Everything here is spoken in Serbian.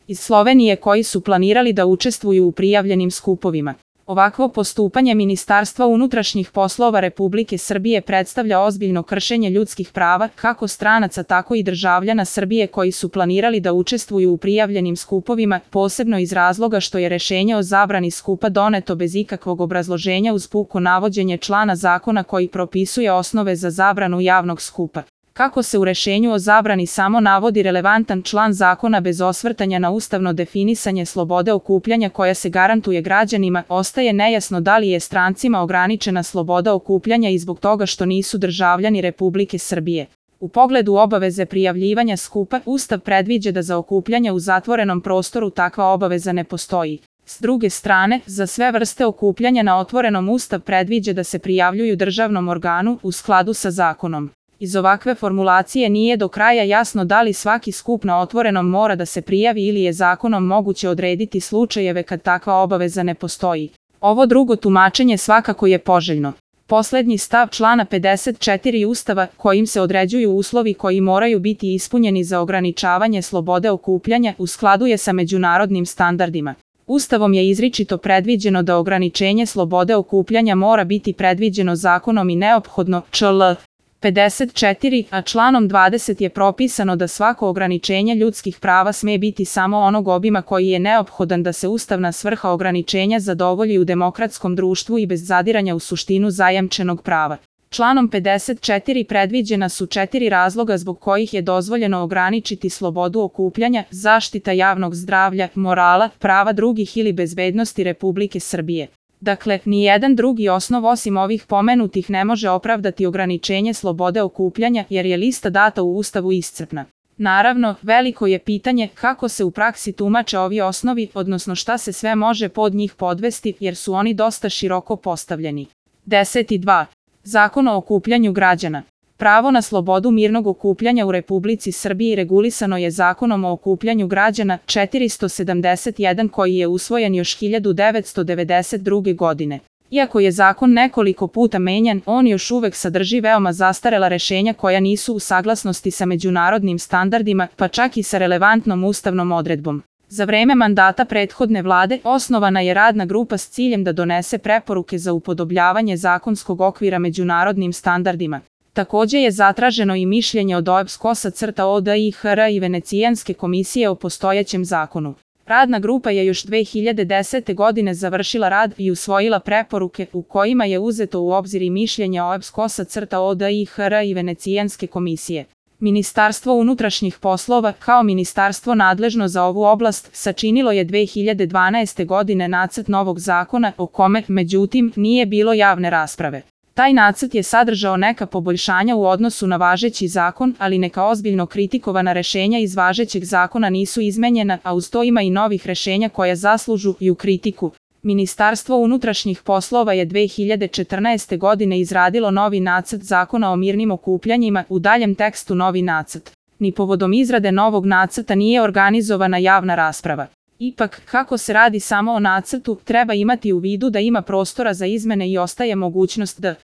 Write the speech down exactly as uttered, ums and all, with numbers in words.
iz Slovenije koji su planirali da učestvuju u prijavljenim skupovima. Ovakvo postupanje Ministarstva unutrašnjih poslova Republike Srbije predstavlja ozbiljno kršenje ljudskih prava, kako stranaca tako i državljana Srbije koji su planirali da učestvuju u prijavljenim skupovima, posebno iz razloga što je rešenje o zabrani skupa doneto bez ikakvog obrazloženja uz puko navođenje člana zakona koji propisuje osnove za zabranu javnog skupa. Kako se u rešenju o zabrani samo navodi relevantan član zakona bez osvrtanja na ustavno definisanje slobode okupljanja koja se garantuje građanima, ostaje nejasno da li je strancima ograničena sloboda okupljanja i zbog toga što nisu državljani Republike Srbije. U pogledu obaveze prijavljivanja skupa, Ustav predviđa da za okupljanje u zatvorenom prostoru takva obaveza ne postoji. S druge strane, za sve vrste okupljanja na otvorenom Ustav predviđa da se prijavljuju državnom organu u skladu sa zakonom. Iz ovakve formulacije nije do kraja jasno da li svaki skup na otvorenom mora da se prijavi ili je zakonom moguće odrediti slučajeve kad takva obaveza ne postoji. Ovo drugo tumačenje svakako je poželjno. Poslednji stav člana pedeset četiri Ustava, kojim se određuju uslovi koji moraju biti ispunjeni za ograničavanje slobode okupljanja, u skladu je sa međunarodnim standardima. Ustavom je izričito predviđeno da ograničenje slobode okupljanja mora biti predviđeno zakonom i neophodno, čl. pedeset četiri, a članom dvadeset je propisano da svako ograničenje ljudskih prava sme biti samo onog obima koji je neophodan da se ustavna svrha ograničenja zadovolji u demokratskom društvu i bez zadiranja u suštinu zajamčenog prava. Članom pedeset četiri predviđena su četiri razloga zbog kojih je dozvoljeno ograničiti slobodu okupljanja: zaštita javnog zdravlja, morala, prava drugih ili bezbednosti Republike Srbije. Dakle, nijedan drugi osnov osim ovih pomenutih ne može opravdati ograničenje slobode okupljanja jer je lista data u Ustavu iscrpna. Naravno, veliko je pitanje kako se u praksi tumače ovi osnovi, odnosno šta se sve može pod njih podvesti jer su oni dosta široko postavljeni. deset dva. Zakon o okupljanju građana. Pravo na slobodu mirnog okupljanja u Republici Srbiji regulisano je Zakonom o okupljanju građana četiristo sedamdeset jedan koji je usvojen još hiljadu devetsto devedeset druge. godine. Iako je zakon nekoliko puta menjan, on još uvek sadrži veoma zastarela rešenja koja nisu u saglasnosti sa međunarodnim standardima, pa čak i sa relevantnom ustavnom odredbom. Za vreme mandata prethodne vlade osnovana je radna grupa s ciljem da donese preporuke za upodobljavanje zakonskog okvira međunarodnim standardima. Takođe je zatraženo i mišljenje od O E B S O D I H R i Venecijanske komisije o postojećem zakonu. Radna grupa je još dve hiljade desete. godine završila rad i usvojila preporuke u kojima je uzeto u obzir i mišljenje O E B S O D I H R i Venecijanske komisije. Ministarstvo unutrašnjih poslova, kao ministarstvo nadležno za ovu oblast, sačinilo je dve hiljade dvanaeste. godine nacrt novog zakona o kome, međutim, nije bilo javne rasprave. Taj nacrt je sadržao neka poboljšanja u odnosu na važeći zakon, ali neka ozbiljno kritikovana rešenja iz važećeg zakona nisu izmenjena, a uz to ima i novih rešenja koja zaslužuju kritiku. Ministarstvo unutrašnjih poslova je dve hiljade četrnaeste. godine izradilo novi nacrt zakona o mirnim okupljanjima, u daljem tekstu novi nacrt. Ni povodom izrade novog nacrta nije organizovana javna rasprava. Ipak, kako se radi samo o nacrtu, treba imati u vidu da ima prostora za izmene i ostaje mogućnost da